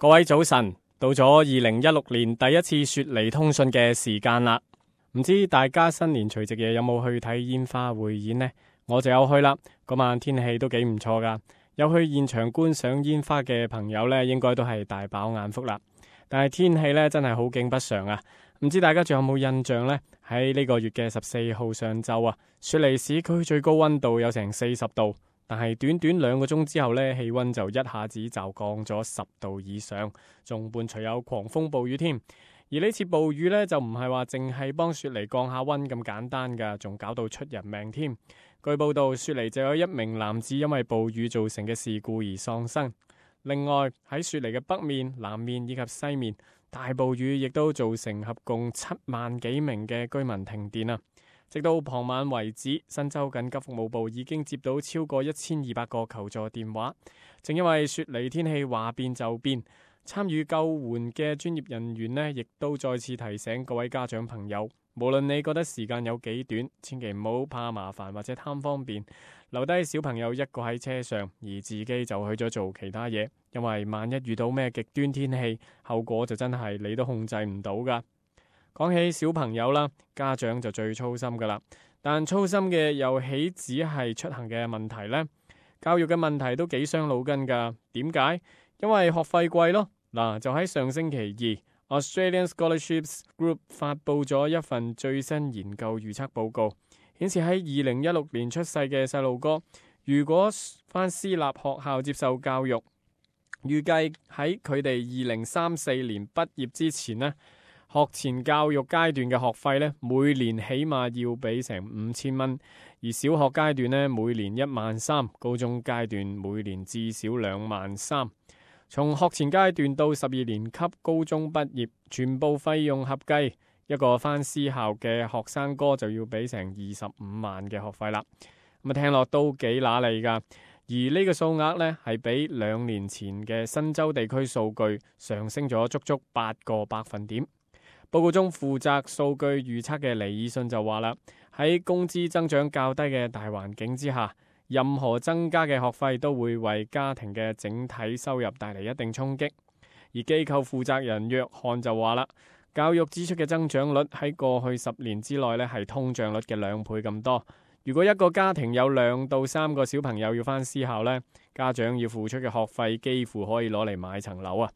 各位早晨，到咗2016年第一次雪梨通訊嘅時間啦。唔知大家新年除夕夜有冇去睇煙花匯演呢？我就有去啦。嗰晚天氣都幾唔錯噶，有去現場觀賞煙花嘅朋友呢，應該都係大飽眼福啦。但係天氣呢，真係好景不常啊！唔知大家仲有冇印象呢？喺呢個月嘅14號上晝啊，雪梨市區最高溫度有成40度。但係短短2個鐘之後呢，氣溫就一下子就降咗10度以上，仲伴隨有狂風暴雨添。而呢次暴雨呢，就唔係話淨係幫雪梨降下溫咁簡單噶，仲搞到出人命添。據報道，雪梨就有1名男子因為暴雨造成嘅事故而喪生。另外喺雪梨嘅北面、南面以及西面，大暴雨亦都造成合共7萬幾名嘅居民停電啊！直到傍晚為止，新州緊急服務部已經接到超過1200個求助電話。正因為雪梨天氣話變就變，參與救援嘅專業人員呢，亦都再次提醒各位家長朋友，無論你覺得時間有幾短，千祈唔好怕麻煩或者貪方便，留低小朋友一個喺車上，而自己就去咗做其他嘢。因為萬一遇到咩極端天氣，後果就真係你都控制唔到噶。講起小朋友啦，家長就最操心噶啦，但操心嘅又豈止係出行嘅問題呢？教育嘅問題都幾傷腦筋噶。點解？因為學費貴咯。嗱，就喺上星期二，Australian Scholarships Group 發佈咗一份最新研究預測報告，顯示喺2016年出世嘅細路哥，如果返私立學校接受教育，預計喺佢哋2034年畢業之前呢，學前教育階段嘅學費呢，每年起碼要俾成5000蚊，而小學階段呢，每年13000，高中階段每年至少23000。從學前階段到12年級高中畢業，全部費用合計，一個返私校嘅學生哥就要俾成25萬嘅學費啦。咁啊，聽落都幾揦脷噶。而呢個數額呢，係比2年前嘅新州地區數據上升咗足足8個百分點。報告中負責數據預測嘅尼爾遜就話啦，喺工資增長較低嘅大環境之下，任何增加嘅學費都會為家庭嘅整體收入帶嚟一定衝擊。而機構負責人約翰就話啦，教育支出嘅增長率喺過去10年之內呢，係通脹率嘅2倍咁多。如果一個家庭有2到3個小朋友要返私校呢，家長要付出嘅學費幾乎可以攞嚟買層樓啊！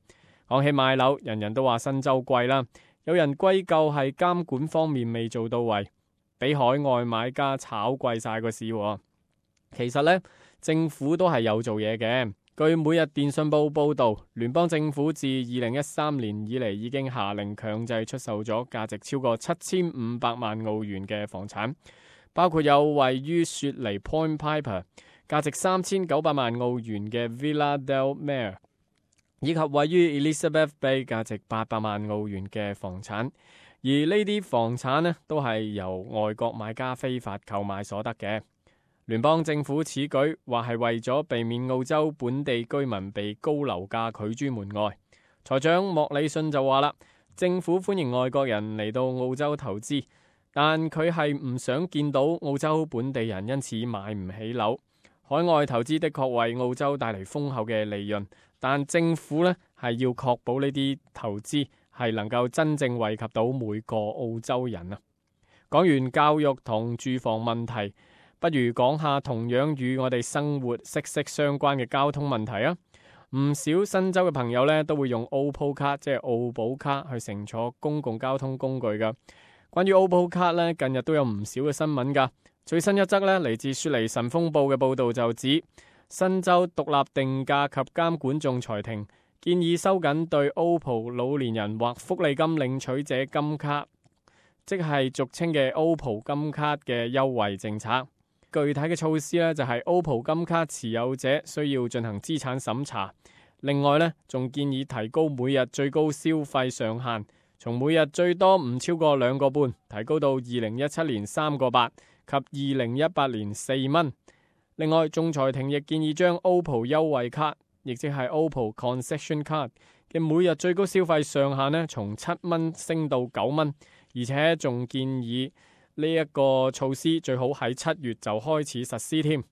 講起買樓，人人都話新州貴啦。有人歸咎係監管方面未做到位，俾海外買家炒貴晒個市。其實呢，政府都係有做嘢嘅。據每日電訊報報道，聯邦政府自2013年以嚟已經下令強制出售咗價值超過7500萬澳元嘅房產，包括有位於雪梨 Point Piper 價值3900萬澳元嘅 Villa del Mar，以及位於 Elizabeth Bay 價值800萬澳元嘅房產，而呢啲房產呢，都係由外國買家非法購買所得嘅。聯邦政府此舉話係為咗避免澳洲本地居民被高樓價拒諸門外。財長莫里遜就話啦，政府歡迎外國人嚟到澳洲投資，但佢係唔想見到澳洲本地人因此買唔起樓。海外投資的確為澳洲帶嚟豐厚嘅利潤，但政府呢係要確保呢啲投資係能夠真正惠及到每個澳洲人啊。講完教育同住房問題，不如講下同樣與我哋生活息息相關嘅交通問題啊！唔少新州嘅朋友呢都會用 Opal 卡，即係澳寶卡去乘坐公共交通工具噶。關於 Opal 卡呢，近日都有唔少嘅新聞噶。最新一則呢，嚟自雪梨晨鋒報嘅報道就指，新州獨立定價及監管仲裁庭建議收緊對 Opal 老年人或福利金領取者金卡，即係俗稱嘅 Opal 金卡嘅優惠政策。具體嘅措施呢，就係 Opal 金卡持有者需要進行資產審查。另外呢，仲建議提高每日最高消費上限，從每日最多唔超過2個半，提高到2017年3個8及2018年4蚊。另外，仲裁庭亦建議將 Opal 優惠卡，亦即係 Opal Concession Card 嘅每日最高消費上限呢，從7蚊升到9蚊，而且仲建議呢一個措施最好喺7月就開始實施添。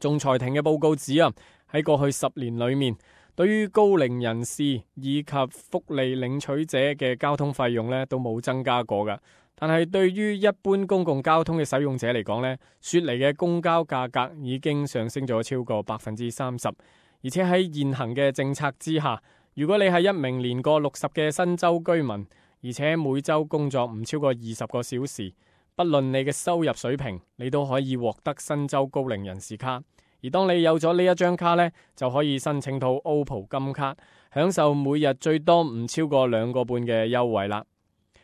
仲裁庭嘅報告指啊，喺過去10年裏面，對於高齡人士以及福利領取者嘅交通費用呢都冇增加過㗎。但係對於一般公共交通嘅使用者嚟講呢，雪梨嘅公交價格已經上升咗超過30%，而且喺現行嘅政策之下，如果你係一名年過60嘅新州居民，而且每周工作唔超過20個小時，不論你嘅收入水平，你都可以獲得新州高齡人士卡。而當你有咗呢一張卡呢，就可以申請到 Opal 金卡，享受每日最多唔超過2個半嘅優惠啦。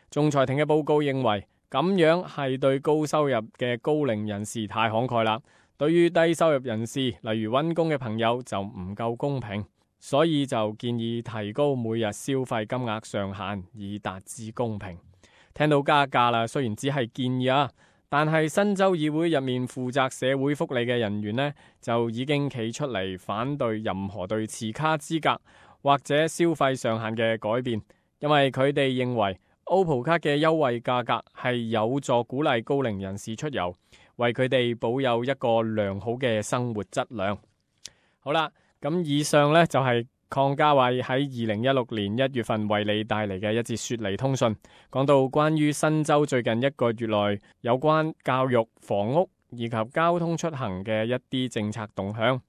仲裁庭嘅報告認為，咁樣係對高收入嘅高齡人士太慷慨啦，對於低收入人士，例如溫工嘅朋友就唔夠公平，所以就建議提高每日消費金額上限，以達至公平。聽到加價啦，雖然只係建議啊，但係新州議會入面負責社會福利嘅人員呢，就已經企出嚟反對任何對持卡資格或者消費上限嘅改變，因為佢哋認為Opal 卡嘅優惠價格係有助鼓勵高齡人士出遊，為佢哋保有一個良好嘅生活質量。好啦，咁以上呢就係鄺家偉喺2016年1月份為你帶嚟嘅一節雪梨通訊，講到關於新州最近1個月內有關教育、房屋以及交通出行嘅一啲政策動向。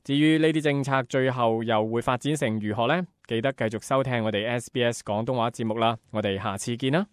至於呢啲政策最後又會發展成如何呢？記得繼續收聽我哋 SBS 廣東話節目啦，我哋下次見啦。